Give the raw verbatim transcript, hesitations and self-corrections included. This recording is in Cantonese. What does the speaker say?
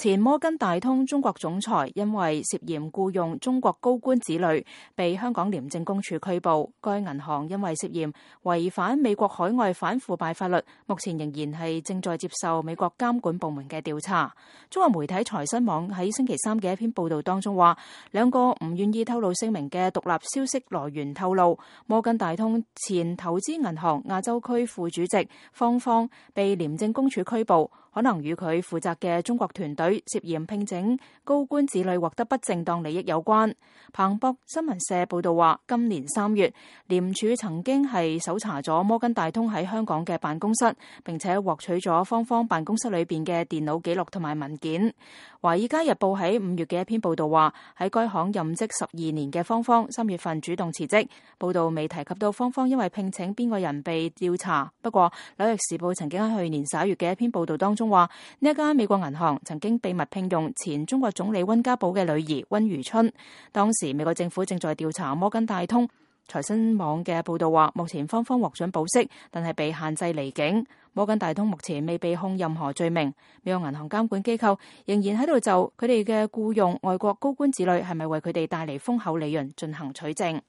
前摩根大通中國總裁因為涉嫌僱用中國高官子女，被香港廉政公署拘捕。該銀行因為涉嫌違反美國海外反腐敗法律，目前仍然係正在接受美國監管部門嘅調查。中國媒體財新網喺星期三嘅一篇報道當中話，兩個唔願意透露姓名嘅獨立消息來源透露，摩根大通前投資銀行亞洲區副主席方方被廉政公署拘捕，可能與佢負責嘅中國團隊涉嫌聘請高官子女獲得不正當利益有關。彭博新聞社報道話，今年三月，廉署曾經係搜查咗摩根大通喺香港嘅辦公室，並且獲取咗方方辦公室裏邊嘅電腦記錄同埋文件。華爾街日報喺五月嘅一篇報道話，喺該行任職十二年嘅方方三月份主動辭職。報道未提及到方方因為聘請邊個人被調查。不過紐約時報曾經喺去年十一月嘅一篇報道當中話，呢一間美國銀行曾經秘密聘用前中國總理溫家寶嘅女兒溫如春。當時美國政府正在調查摩根大通。財新網嘅報道話，目前方方獲准保釋，但係被限制離境。摩根大通目前未被控任何罪名。美國銀行監管機構仍然喺度就佢哋嘅僱用外國高官子女係咪為佢哋帶嚟豐厚利潤進行取證。